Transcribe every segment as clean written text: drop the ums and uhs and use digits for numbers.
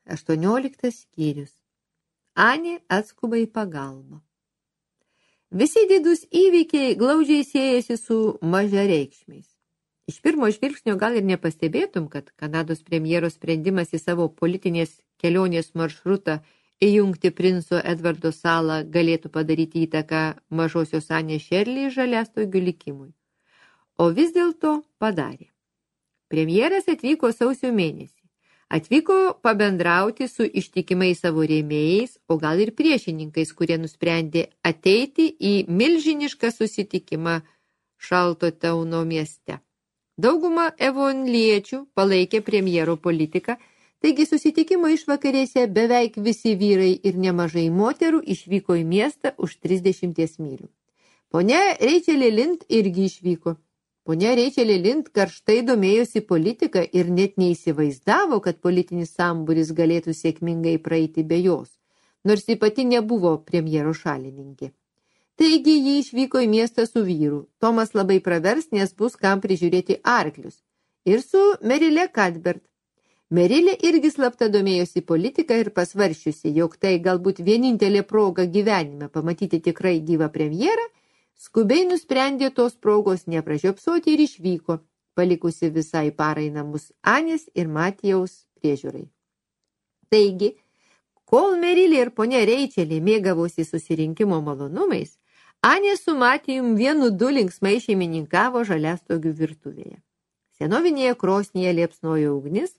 18 skyrius. Anė atskuba į pagalbą. Visi didūs įvykiai glaudžiai siejasi su mažareikšmiais. Iš pirmo žvilgsnio gal ir nepastebėtum, kad Kanados premjero sprendimas į savo politinės kelionės maršrutą įjungti princo Edvardo salą galėtų padaryti įtaką mažosios Anės Šerli žaliastogių likimui. O vis dėlto padarė. Premjeras atvyko sausio mėnesį. Atvyko pabendrauti su ištikimai savo rėmėjais, o gal ir priešininkais, kurie nusprendė ateiti į milžinišką susitikimą Šaltotauno mieste. Dauguma evonliečių palaikė premjero politiką, taigi susitikimo išvakarėse beveik visi vyrai ir nemažai moterų išvyko į miestą už 30 mylių. Ponia Rachelė Lind irgi išvyko. Ponia Rachelė Lind karštai domėjosi politiką ir net neįsivaizdavo, kad politinis sambūris galėtų sėkmingai praeiti be jos, nors ji pati nebuvo premjero šalininkė. Taigi ji išvyko į miestą su vyru. Tomas labai pravers, nes bus kam prižiūrėti arklius. Ir su Merile Cuthbert. Merilė irgi slapta domėjosi politiką ir pasvaršiusi, jog tai galbūt vienintelė proga gyvenime pamatyti tikrai gyvą premjerą, skubiai nusprendė tos progos nepražiopsoti ir išvyko, palikusi visai parai namus Anės ir Matijaus priežiūrai. Taigi, kol Merilė ir ponia Rachelė mėgavosi susirinkimo malonumais, Anė su Matijum 1-2 linksmai šeimininkavo žaliastogių virtuvėje. Senovinėje krosnyje liepsnojo ugnis,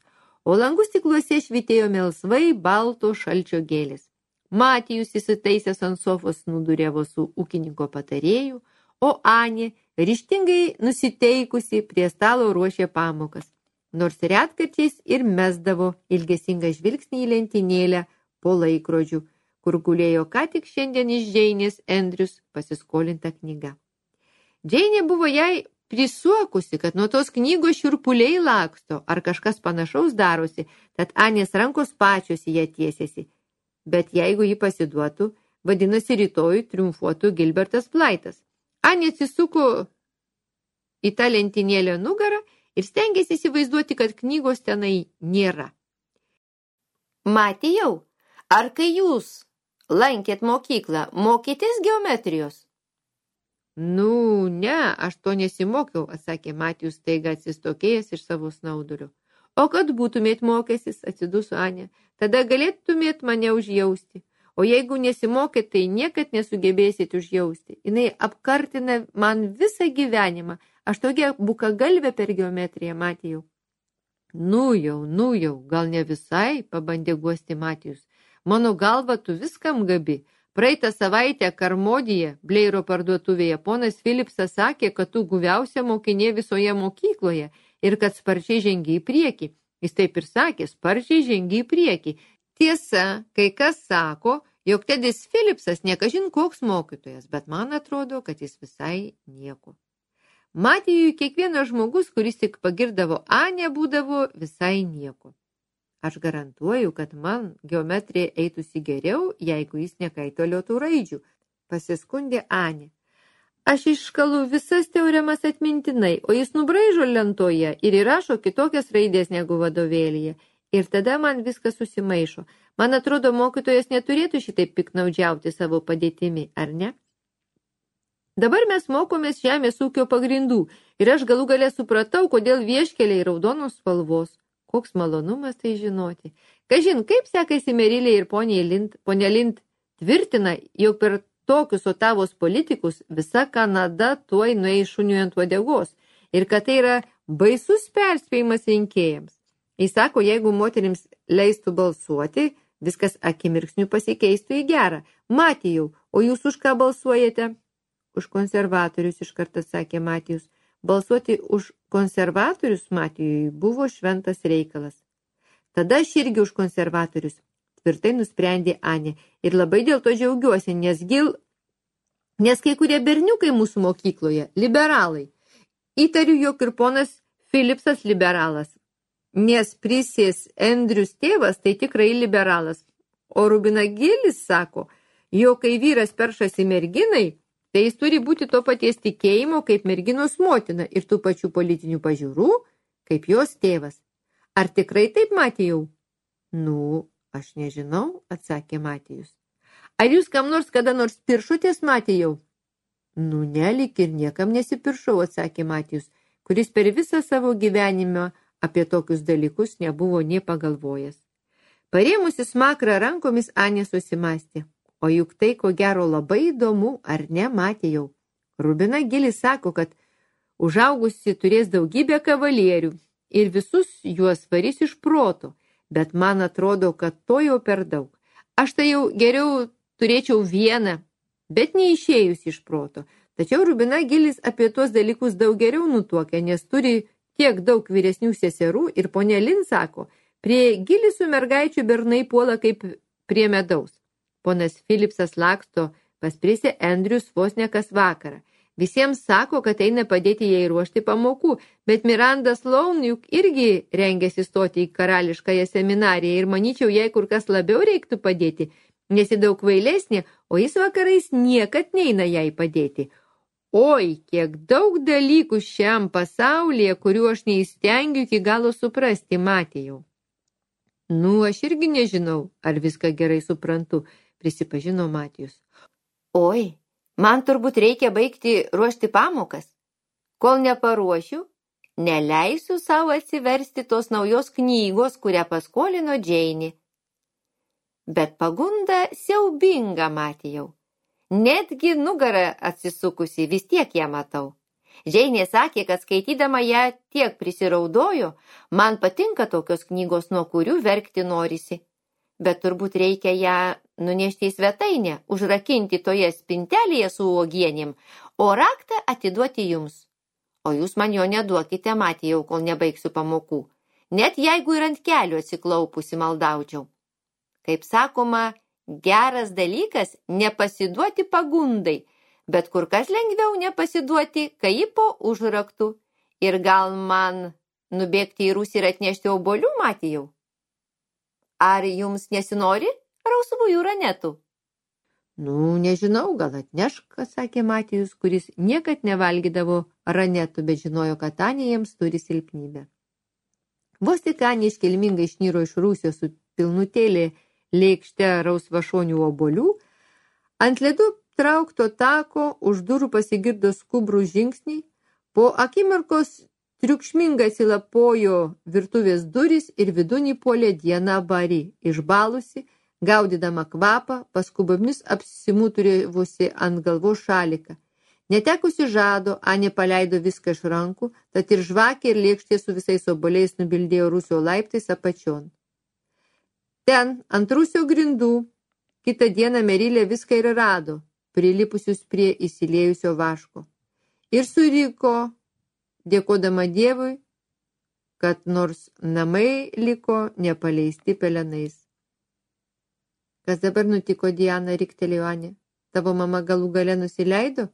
o langų stikluose švytėjo melsvai balto šalčio gėlės. Matijus įsitaisęs ant sofos nudūrėvo su ūkininko patarėju, o Anė ryžtingai nusiteikusi prie stalo ruošė pamokas, nors retkarčiais ir mesdavo ilgesingą žvilgsnį į lentynėlę po laikrodžių, kur gulėjo ką tik šiandien iš Džeinės Andrius pasiskolinta knyga. Džeinė buvo jai prisuokusi, kad nuo tos knygos šiurpuliai laksto ar kažkas panašaus darosi, tad Anės rankos pačios į ją tiesėsi. Bet jeigu ji pasiduotų, vadinasi rytoj triumfuotų Gilbertas Blytas. Anė atsisuko į tą lentynėlę nugarą ir stengėsi įsivaizduoti, kad knygos tenai nėra. Matijau, ar kai jūs lankėt mokyklą, mokytės geometrijos? Nu, ne, aš to nesimokiau, atsakė Matijus staiga atsistokėjęs iš savo snaudulio. O kad būtumėt mokęsis, atsiduso Anė, tada galėtumėt mane užjausti. O jeigu nesimokėt, tai niekad nesugebėsit užjausti. Jinai apkartina man visą gyvenimą. Aš tokia bukagalvė per geometriją, Matijau. Nu jau, gal ne visai, pabandė guosti Matijus. Mano galva, tu viskam gabi. Praeitą savaitę Karmodyje, Bleiro parduotuvėje, ponas Philipsas sakė, kad tu guviausia mokinė visoje mokykloje ir kad sparčiai žengi į priekį. Jis taip ir sakė, sparčiai žengi į priekį. Tiesa, kai kas sako, jog Tedis Philipsas nekažin koks mokytojas, bet man atrodo, kad jis visai nieko. Matijui kiekvienas žmogus, kuris tik pagirdavo Anę, būdavo visai nieko. Aš garantuoju, kad man geometrija eitųsi geriau, jeigu jis nekaitaliotų raidžių, pasiskundė Anė. Aš iškalu visas teoremas atmintinai, o jis nubraižo lentoje ir įrašo kitokias raidės negu vadovėlyje. Ir tada man viskas susimaišo. Man atrodo, mokytojas neturėtų šitaip piknaudžiauti savo padėtimi, ar ne? Dabar mes mokomės žemės ūkio pagrindų ir aš galų gale supratau, kodėl vieškeliai raudonos spalvos. Koks malonumas tai žinoti. Kažin, kaip sekasi Merilė ir ponia Lind tvirtina, jog per tokius Otavos politikus visa Kanada tuoj nueis šuniui ant uodegos ir kad tai yra baisus perspėjimas rinkėjams. Jis sako, jeigu moterims leistų balsuoti, viskas akimirksniu pasikeistų į gerą. Matijau, o jūs už ką balsuojate? Už konservatorius, iškart atsakė Matijus. Balsuoti už konservatorius Matijui buvo šventas reikalas. Tada aš irgi už konservatorius, tvirtai nusprendė Anė. Ir labai dėl to džiaugiuosi, nes kai kurie berniukai mūsų mokykloje liberalai. Įtariu, jog ir ponas Philipsas liberalas, nes Prisės Andrius tėvas tai tikrai liberalas. O Rubina Gilis sako, jog kai vyras peršasi merginai, tai jis turi būti to paties tikėjimo kaip merginos motina ir tų pačių politinių pažiūrų, kaip jos tėvas. Ar tikrai taip, Matijau? Nu, Aš nežinau, atsakė Matijus. Ar jūs kam nors kada nors piršotės, Matijau? Nu, nelik ir niekam nesipiršau, atsakė Matijus, kuris per visą savo gyvenimą apie tokius dalykus nebuvo nė pagalvojęs. Parėmusi smakrą rankomis, Anė susimastė. O juk tai, ko gero, labai įdomu, ar ne, Matijau? Rubina Gilis sako, kad užaugusi turės daugybę kavalierių ir visus juos varys iš proto, bet man atrodo, kad to jau per daug. Aš tai jau geriau turėčiau vieną, bet neišėjus iš proto. Tačiau Rubina Gilis apie tuos dalykus daug geriau nutuokia, nes turi tiek daug vyresnių seserų ir ponė Lin sako, prie Gilisų mergaičių bernai puola kaip prie medaus. Ponas Philipsas laksto pas Prisę Andrius vos ne kas vakarą. Visiems sako, kad eina padėti jai ruošti pamokų, bet Miranda Sloan juk irgi rengiasi stoti į karališkąją seminariją ir manyčiau, jai kur kas labiau reiktų padėti, nes ji daug kvailesnė, o jis vakarais niekad neina jai padėti. Oi, kiek daug dalykų šiam pasaulyje, kuriuo aš neįstengiu iki galo suprasti, Matijau. Nu, aš irgi nežinau, ar viską gerai suprantu, prisipažino Matijus. Oi, man turbūt reikia baigti ruošti pamokas. Kol neparuošiu, neleisiu savo atsiversti tos naujos knygos, kurią paskolino Džeinė. Bet pagunda siaubinga, Matijau. Netgi nugarą atsisukusi vis tiek ją matau. Džeinė sakė, kad skaitydama ją tiek prisiraudojo, man patinka tokios knygos, nuo kurių verkti norisi. Bet turbūt reikia ją nunešti į svetainę, užrakinti toje spintelėje su uogienėm, o raktą atiduoti jums. O jūs man jo neduokite, Matijau, kol nebaigsiu pamokų, net jeigu ir ant kelių atsiklaupusi maldaučiau. Kaip sakoma, geras dalykas nepasiduoti pagundai, bet kur kas lengviau nepasiduoti, kai ji po užraktų. Ir gal man nubėgti į rūsį ir atnešti obuolių, Matijau? Ar jums nesinori rausvųjų ranetų? Nu, nežinau, gal atnešk, sakė Matijus, kuris niekad nevalgydavo ranetų, bet žinojo, kad Anė jiems turi silpnybę. Vos tik Anė iškilmingai išniro iš rūsio su pilnutėlė lėkšte rausvašonių obuolių, ant ledų traukto tako už durų pasigirdo skubrų žingsniai, po akimirkos triukšmingai atsilapojo virtuvės durys ir vidun įpuolė Diana Bari, išbalusi, gaudydama kvapą, paskubomis apsimuturivusi ant galvos šaliką. Netekusi žado, Anė paleido viską iš rankų, tad ir žvakė ir lėkštė su visais obuoliais nubildėjo rūsio laiptais apačion. Ten, ant rūsio grindų, kitą dieną Merilė viską ir rado, prilipusius prie įsiliejusio vaško. Ir suriko, dėkodama Dievui, kad nors namai liko nepaleisti pelenais. Kas dabar nutiko, Diana, riktelėjo Anė? Tavo mama galų gale nusileido?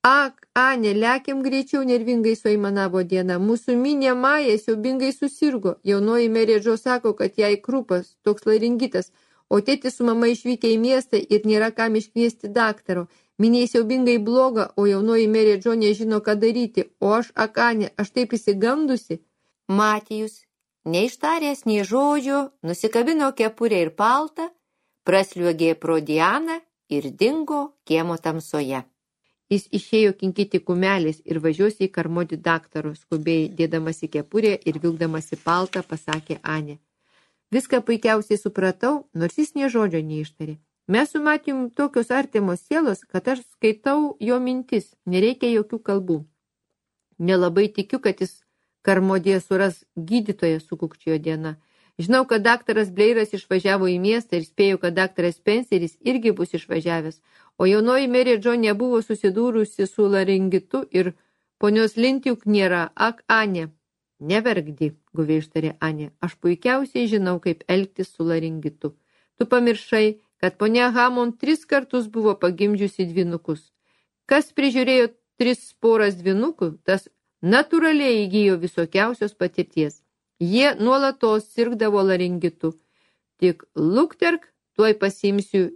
Ak, Anė, lekiam greičiau, nervingai suaimanavo Diana. Mūsų minė Maja siaubingai susirgo. Jaunoji merė Džo sako, kad jai krūpas, toks laringitas, o tėtis su mama išvykę į miestą ir nėra kam iškviesti daktaro. Miniai siaubingai bloga, o jaunoji merė Džo nežino, ką daryti. O aš, Anė, aš taip įsigandusi. Matijus, neištaręs nei žodžio, nusikabino kepurę ir paltą, prasliuogė pro Dianą ir dingo kiemo tamsoje. Jis išėjo kinkyti kumelės ir važiuosi į Karmodį daktaro, skubiai dėdamasi kepurę ir vilkdamasi paltą, pasakė Anė. Viską puikiausiai supratau, nors jis nė žodžio neištarė. Mes su Matijum tokios artimos sielos, kad aš skaitau jo mintis, nereikia jokių kalbų. Nelabai tikiu, kad jis Karmodėje suras gydytoją, sukukčiojo Diana. Žinau, kad daktaras Bleiras išvažiavo į miestą ir spėjau, kad daktaras Spenceris irgi bus išvažiavęs, o jaunoji merė Džo nebuvo susidūrusi su laringitu ir ponios Lintiuk nėra. Ak, Anė, neverkdi, guviai ištarė Anė, aš puikiausiai žinau, kaip elgtis su laringitu. Tu pamiršai, kad ponia Hammond 3 kartus buvo pagimdžiusi dvynukus. Kas prižiūrėjo 3 poras dvynukų, tas natūraliai įgijo visokiausios patirties. Jie nuolatos sirgdavo laringitu. Tik lukterk, tuoj pasiimsiu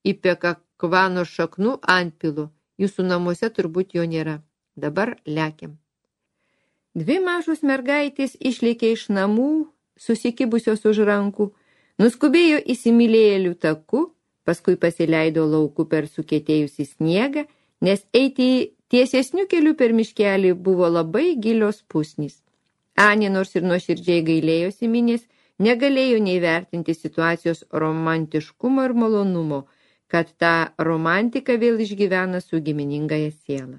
į pekakvano šaknų antpilu. Jūsų namuose turbūt jo nėra. Dabar lekiam. 2 mažos mergaitės išlėkė iš namų, susikibusios už rankų. Nuskubėjo įsimylėjėlių taku, paskui pasileido lauku per sukietėjusį sniegą, nes eiti tiesesnių kelių per miškelį buvo labai gilios pusnys. Anė, nors ir nuoširdžiai gailėjosi Minės, negalėjo neįvertinti situacijos romantiškumo ir malonumo, kad tą romantiką vėl išgyvena su giminingąją sielą.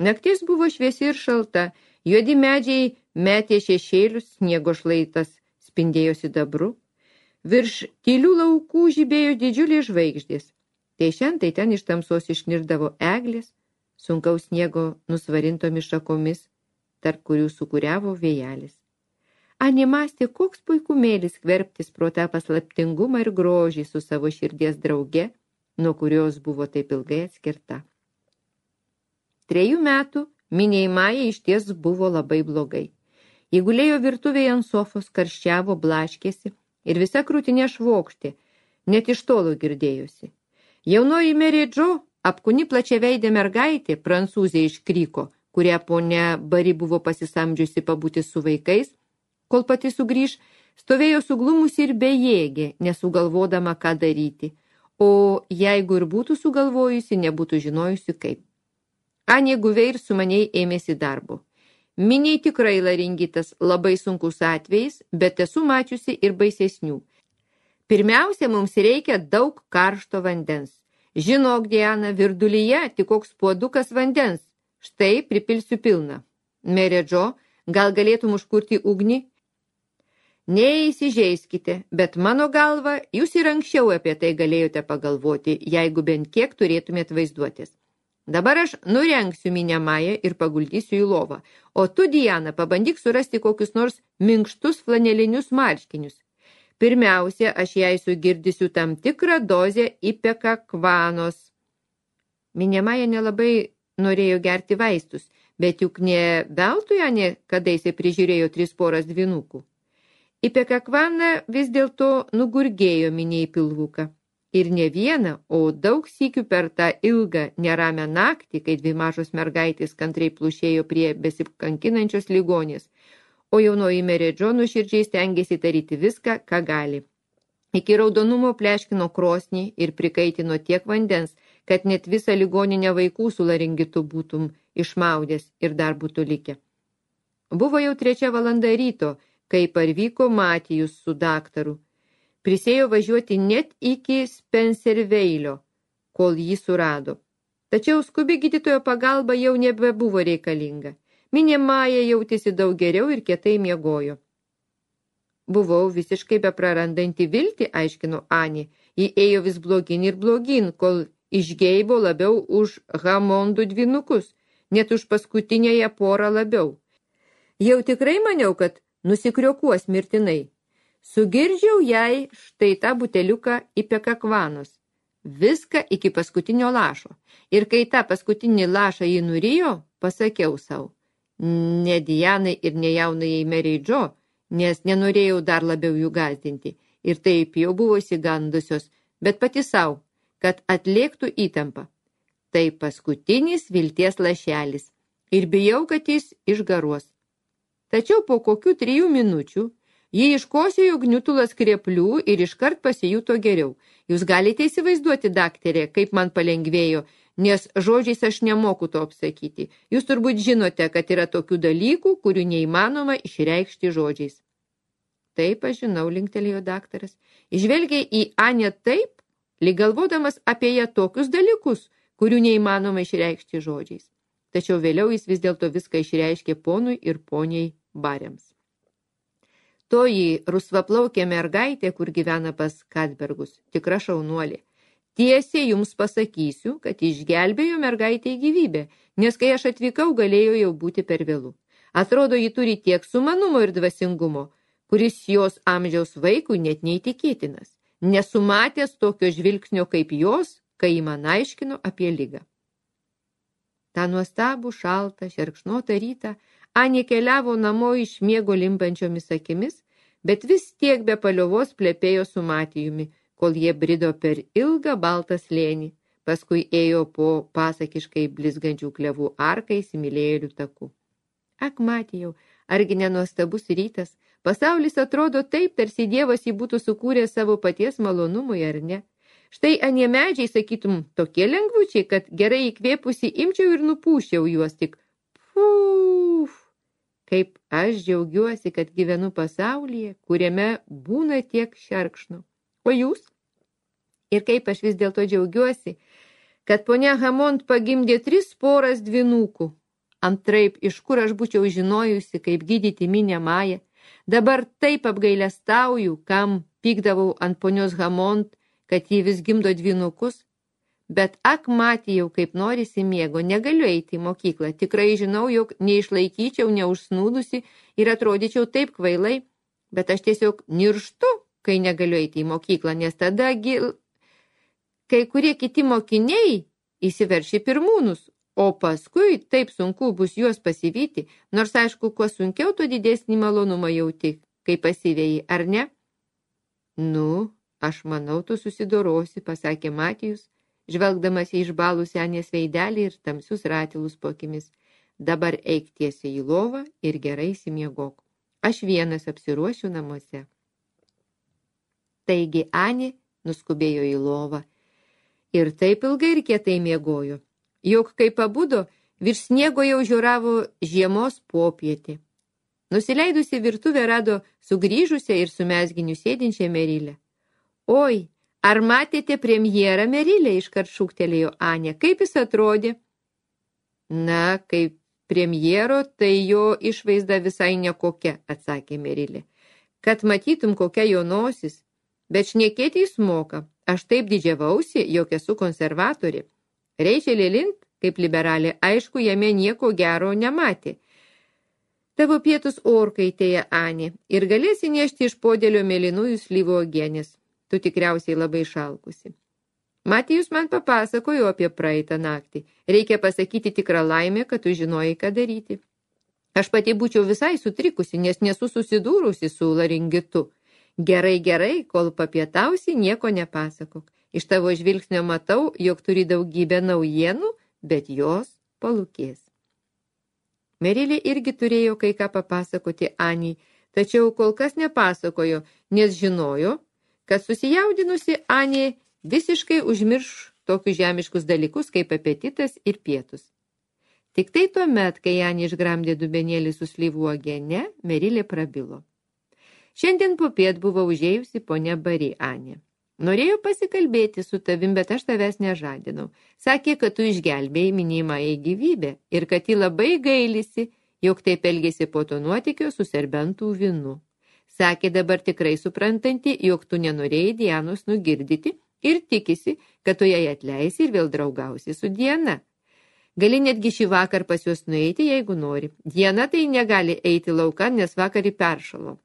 Naktis buvo šviesi ir šalta, juodi medžiai metė šešėlius, sniego šlaitas spindėjo sidabru. Virš tylių laukų žibėjo didžiulės žvaigždės. Tai šiandien tai ten iš tamsos išnirdavo eglės, sunkaus sniego nusvarintomis šakomis, tarp kurių sukuriavo vėjelis. Anė mąstė, koks puikumėlis skverbtis pro tą paslaptingumą ir grožį su savo širdies drauge, nuo kurios buvo taip ilgai atskirta. 3 metų Minei Majai išties buvo labai blogai. Ji gulėjo virtuvėje ant sofos, karščiavo, blaškėsi ir visa krūtinė švokštė, net iš tolo girdėjosi. Jaunoji Mary Jo, apkūni plačiaveidė mergaitė, prancūzė iš Kryko, kurią ponia Bari buvo pasisamdžiusi pabūti su vaikais, kol pati sugrįž, stovėjo suglumusi ir bejėgė, nesugalvodama, ką daryti, o jeigu ir būtų sugalvojusi, nebūtų žinojusi kaip. Anė guviai ir sumaniai ėmėsi darbo. Minei tikrai laringitas, labai sunkus atvejais, bet esu mačiusi ir baisesnių. Pirmiausia, mums reikia daug karšto vandens. Žinok, Diana, virdulyje tik koks puodukas vandens. Štai pripilsiu pilną. Mary Jo, gal galėtum užkurti ugnį? Neįsižeiskite, bet mano galva, jūs ir anksčiau apie tai galėjote pagalvoti, jeigu bent kiek turėtumėt vaizduotis. Dabar aš nurengsiu Minę Mają ir paguldysiu į lovą, o tu, Diana, pabandyk surasti kokius nors minkštus flanelinius marškinius. Pirmiausia, aš jai sugirdysiu tam tikrą dozę ipekakvanos. Minė Maja nelabai norėjo gerti vaistus, bet juk ne veltui Anė kadaise prižiūrėjo 3 poras dvynukų. Ipekakvana vis dėlto nugurgėjo Minei pilvuką. Ir ne vieną, o daug sykių per tą ilgą, neramią naktį, kai 2 mažos mergaitės kantriai plušėjo prie besikankinančios ligonės, o jaunoji Mary Jo nuoširdžiai stengėsi daryti viską, ką gali. Iki raudonumo pleškino krosnį ir prikaitino tiek vandens, kad net visą ligoninę vaikų su laringitu būtum išmaudęs ir dar būtų likę. Buvo jau 3 valanda ryto, kai parvyko Matijus su daktaru. Prisėjo važiuoti net iki Spencerveilio, kol jį surado. Tačiau skubi gydytojo pagalba jau nebebuvo reikalinga. Minė Maja jautėsi daug geriau ir kietai miegojo. Buvau visiškai beprarandanti viltį, aiškino Anė. Ji ėjo vis blogin ir blogin, kol išgeibo labiau už Hamondų dvynukus, net už paskutinėje porą labiau. Jau tikrai maniau, kad nusikriokuos mirtinai. Sugirdžiau jai štai tą buteliuką ipekakvanos. Viską iki paskutinio lašo. Ir kai tą paskutinį lašą jį nurijo, pasakiau savo. Ne Dianai ir ne jaunai Mary Jo, nes nenorėjau dar labiau jų gąsdinti. Ir taip jau buvo įsigandusios, bet pati savo, kad atlėktų įtampą. Tai paskutinis vilties lašelis. Ir bijau, kad jis išgaruos. Tačiau po kokių 3 minučių ji iškosėjo gniutulas krėplių ir iškart pasijuto geriau. Jūs galite įsivaizduoti, daktarė, kaip man palengvėjo, nes žodžiais aš nemoku to apsakyti. Jūs turbūt žinote, kad yra tokių dalykų, kurių neįmanoma išreikšti žodžiais. Taip, aš žinau, linktelėjo daktaras. Žvelgia į Anę taip, lyg galvodamas apie ją tokius dalykus, kurių neįmanoma išreikšti žodžiais. Tačiau vėliau jis vis dėlto viską išreiškė ponui ir poniai Bariams. Toji rusvaplaukė mergaitė, kur gyvena pas Kadbergus, tikra šaunuolė. Tiesiai jums pasakysiu, kad išgelbėjo mergaitę į gyvybę, nes kai aš atvykau, galėjo jau būti per vėlu. Atrodo, ji turi tiek sumanumo ir dvasingumo, kuris jos amžiaus vaikui net neįtikėtinas. Nesumatęs tokio žvilgsnio kaip jos, kai ji man aiškino apie ligą. Ta nuostabų šaltą, šerkšnotą rytą Anė keliavo namo iš miego limpančiomis akimis, bet vis tiek be paliovos plepėjo su Matijumi, kol jie brido per ilgą baltą slėnį, paskui ėjo po pasakiškai blizgančių klevų arką įsimylėjėlių taku. Ak, Matijau, argi nenuostabus rytas, Pasaulis atrodo taip, tarsi Dievas jį būtų sukūręs savo paties malonumui, ar ne? Štai anie medžiai, sakytum, tokie lengvučiai, kad gerai įkvėpusi imčiau ir nupūščiau juos tik. Puf! Kaip aš džiaugiuosi, kad gyvenu pasaulyje, kuriame būna tiek šerkšnų. O jūs? Ir kaip aš vis dėlto džiaugiuosi, kad ponia Hamont pagimdė 3 poras dvynukų. Antraip, iš kur aš būčiau žinojusi, kaip gydyti minę Mają. Dabar taip apgailestauju, kam pykdavau ant ponios Hamont, kad jį vis gimdo dvynukus. Bet matijau, kaip norisi miego, negaliu eiti į mokyklą. Tikrai žinau, jog neišlaikyčiau, neužsnūdusi ir atrodyčiau taip kvailai, bet aš tiesiog nirštu, kai negaliu eiti į mokyklą, nes tada kai kurie kiti mokiniai įsiverši pirmūnus, o paskui taip sunku bus juos pasivyti, nors aišku, kuo sunkiau, tuo didesnį malonumą jauti, kai pasivėjai, ar ne? Nu, aš manau, tu susidorosi, pasakė Matijus, žvelgdamas į išbalusį Anės veidelį ir tamsius ratilus po akimis. Dabar eik tiesiai į lovą ir gerai įsimiegok. Aš vienas apsiruošiu namuose. Taigi Anė nuskubėjo į lovą ir taip ilgai ir kietai miegojo, jog kai pabudo, virš sniego jau žiūravo žiemos popietį. Nusileidusi virtuvę rado sugrįžusią ir su mezginiu sėdinčią Merilę. Oi, ar matėte premjerą, Merilė, iškart šūktelėjo Anė. Kaip jis atrodė? Na, kaip premjero, tai jo išvaizda visai nekokia, atsakė Merilė. Kad matytum, kokia jo nosis, bet šnekėti jis moka. Aš taip didžiavausi, jog esu konservatorė. Reičelė Lind, kaip liberalė, aišku, jame nieko gero nematė. Tavo pietus orkaitėje, Anė, ir galėsi nešti iš podėlio mėlynųjų slyvų uogienės. Tu tikriausiai labai šalkusi. Matijus man papasakojo apie praeitą naktį. Reikia pasakyti tikrą laimę, kad tu žinojai, ką daryti. Aš pati būčiau visai sutrikusi, nes nesu susidūrusi su laringitu. Gerai, kol papietausi, nieko nepasakok. Iš tavo žvilgsnio matau, jog turi daugybę naujienų, bet jos palūkės. Merilė irgi turėjo kai ką papasakoti Anei, tačiau kol kas nepasakojo, nes žinojo, kad susijaudinusi Anė visiškai užmirš tokius žemiškus dalykus kaip apetitas ir pietus. Tik tai tuomet, kai Anė išgramdė dubenėlį su slyvų uogiene, Merilė prabilo. Šiandien popiet buvo užėjusi ponia Bari, Anė. Norėjau pasikalbėti su tavim, bet aš tavęs nežadinau. Sakė, kad tu išgelbėjai minimąją gyvybę ir kad ji labai gailisi, jog taip elgėsi po to nuotykio su serbentų vynu. Sakė dabar tikrai suprantanti, jog tu nenorėjai Dianos nugirdyti ir tikisi, kad tu jai atleisi ir vėl draugausi su Diana. Gali netgi šį vakar pas juos nueiti, jeigu nori. Diana tai negali eiti laukan, nes vakar į peršalo.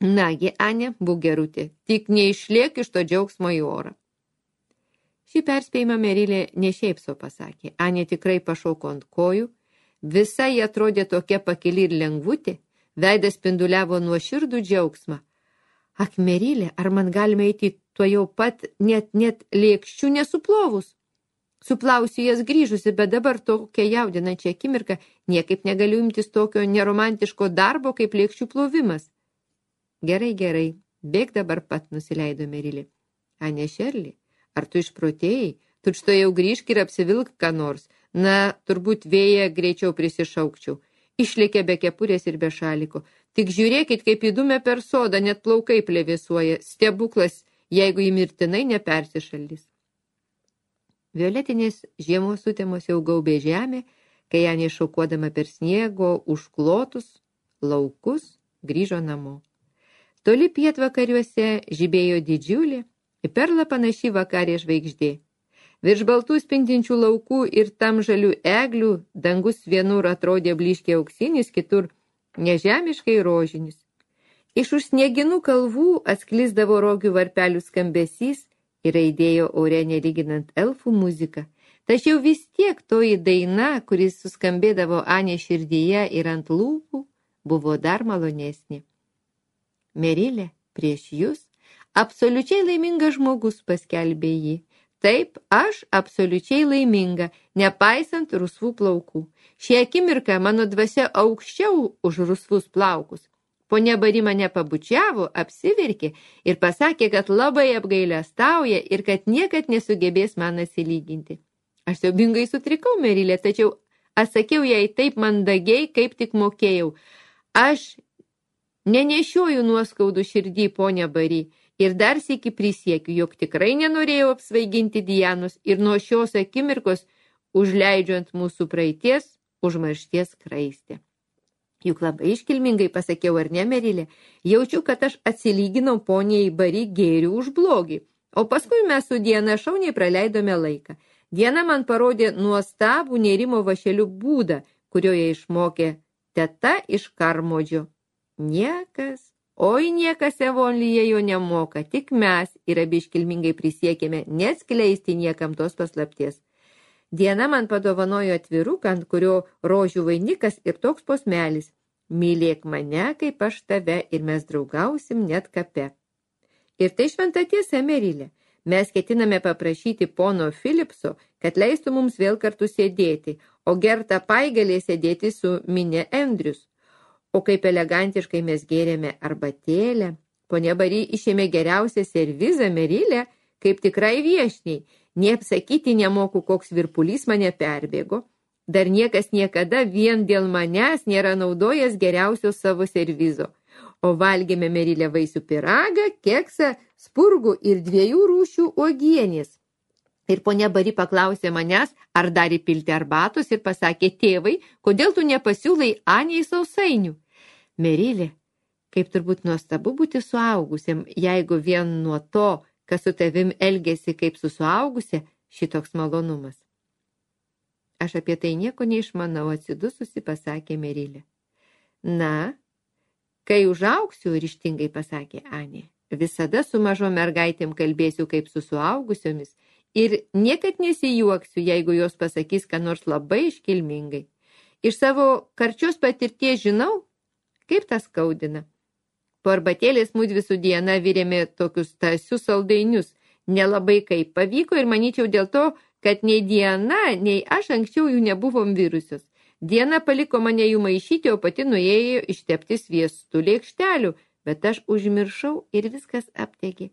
Nagi, Anė, būk gerutė, tik neišliek iš to džiaugsmo į orą. Šį perspėjimą Merilė ne šiaip sau pasakė. Anė tikrai pašoko ant kojų, visa jie atrodė tokia pakili ir lengvutė, veidas spinduliavo nuoširdų džiaugsmą. Ak, Merilė, ar man galime eiti tuo jau pat net lėkščių nesuplovus? Suplausiu jas grįžusi, bet dabar tokia jaudinančia akimirka niekaip negaliu imtis tokio neromantiško darbo kaip lėkščių plovimas. Gerai, bėk dabar pat, nusileido Merilė. Anė Šerli, ar tu išprotėjai? Tučto jau grįžk ir apsivilk ką nors. Na, turbūt vėją greičiau prisišaukčiau. Išlėkė be kepurės ir be šaliko. Tik žiūrėkit, kaip įdumė per sodą, net plaukai plevėsuoja. Stebuklas, jeigu jį mirtinai nepersišaldys. Violetinės žiemos sutemos jau gaubė žemę, kai Anė šokuodama per sniego užklotus laukus grįžo namo. Toli pietvakariuose žibėjo didžiulė, į perlą panaši vakarė žvaigždė. Virš baltų spindinčių laukų ir tamžalių eglių dangus vienur atrodė blyškiai auksinis, kitur nežemiškai rožinis. Iš už snieginų kalvų atsklisdavo rogių varpelių skambesys ir aidėjo ore nelyginant elfų muziką. Tačiau vis tiek toji daina, kuris suskambėdavo Anės širdyje ir ant lūpų, buvo dar malonesnė. Merilė, prieš jūs, absoliučiai laimingas žmogus, paskelbė jį. Taip, aš absoliučiai laiminga, nepaisant rusvų plaukų. Šį akimirką mano dvasia aukščiau už rusvus plaukus. Ponia Bari mane pabučiavo, apsiverkė ir pasakė, kad labai apgailestauja ir kad niekad nesugebės man atsilyginti. Aš siaubingai sutrikau, Merilė, tačiau atsakiau jai taip mandagiai, kaip tik mokėjau. Aš nenešioju nuoskaudų širdį, ponia Bari, ir dar sykį prisiekiu, jog tikrai nenorėjau apsvaiginti Dianos ir nuo šios akimirkos užleidžiu ant mūsų praeities užmaršties skraistę. Juk labai iškilmingai pasakiau, ar ne, Merilė, jaučiu, kad aš atsilyginau poniai Bari gėrių už blogį, o paskui mes su Diana šauniai praleidome laiką. Diana man parodė nuostabų nėrimo vašelių būdą, kurioje išmokė teta iš Karmodžio. Niekas Evonlyje jo nemoka, tik mes ir abi iškilmingai prisiekėme neatskleisti niekam tos paslapties. Diana man padovanojo atviruką, ant kurio rožių vainikas ir toks posmelis. Mylėk mane, kaip aš tave, ir mes draugausim net kape. Ir tai šventa tiesa, Merilė. Mes ketiname paprašyti pono Philipso, kad leistų mums vėl kartu sėdėti, o Gerta Pai galės sėdėti su Minė Andrius. O kaip elegantiškai mes gėrėme arbatėlę, ponia Bari išėmė geriausią servizą, Merilė, kaip tikrai viešniai. Neapsakyti nemoku, koks virpulys mane perbėgo. Dar niekas niekada vien dėl manęs nėra naudojęs geriausio savo servizo. O valgėme, Merilė, vaisių pyragą, keksą, spurgų ir 2 rūšių uogienės. Ir ponia Bari paklausė manęs, ar dar įpilti arbatos ir pasakė, tėvai, kodėl tu nepasiūlai Aniai sausainių? Merilė, kaip turbūt nuostabu būti suaugusiam, jeigu vien nuo to, kas su tavim elgėsi kaip su suaugusia, šitoks malonumas. Aš apie tai nieko neišmanau, atsidususi pasakė Merilė. Na, kai užaugsiu, ryžtingai pasakė Anė, visada su mažom mergaitėm kalbėsiu kaip su suaugusiomis ir niekad nesijuoksiu, jeigu jos pasakys, ką nors labai iškilmingai. Iš savo karčios patirties žinau, kaip tas skaudina. Po arbatėlės mudvi su Diana virėme tokius tąsius saldainius. Nelabai kaip pavyko ir manyčiau dėl to, kad nei Diana, nei aš anksčiau jų nebuvom virusios. Diana paliko mane jų maišyti, o pati nuėjo ištepti sviestų lėkštelių, bet aš užmiršau ir viskas aptegė.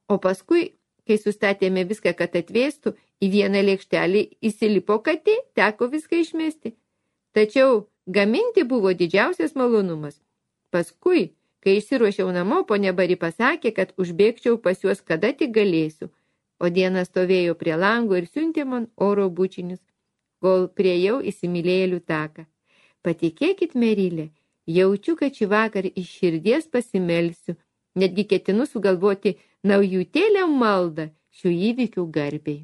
O paskui, kai sustatėme viską, kad atvėstų, į vieną lėkštelį įsilipo katė, teko viską išmesti. Tačiau gaminti buvo didžiausias malonumas. Paskui, kai išsiruošiau namo, ponia Bari pasakė, kad užbėgčiau pas juos kada tik galėsiu. O Diana stovėjo prie lango ir siuntė man oro bučinius, kol priejau įsimylėjėlių taką. Patikėkit, Merilė, jaučiu, kad šį vakar iš širdies pasimelsiu, netgi ketinu sugalvoti naujutėlę maldą šių įvykių garbei.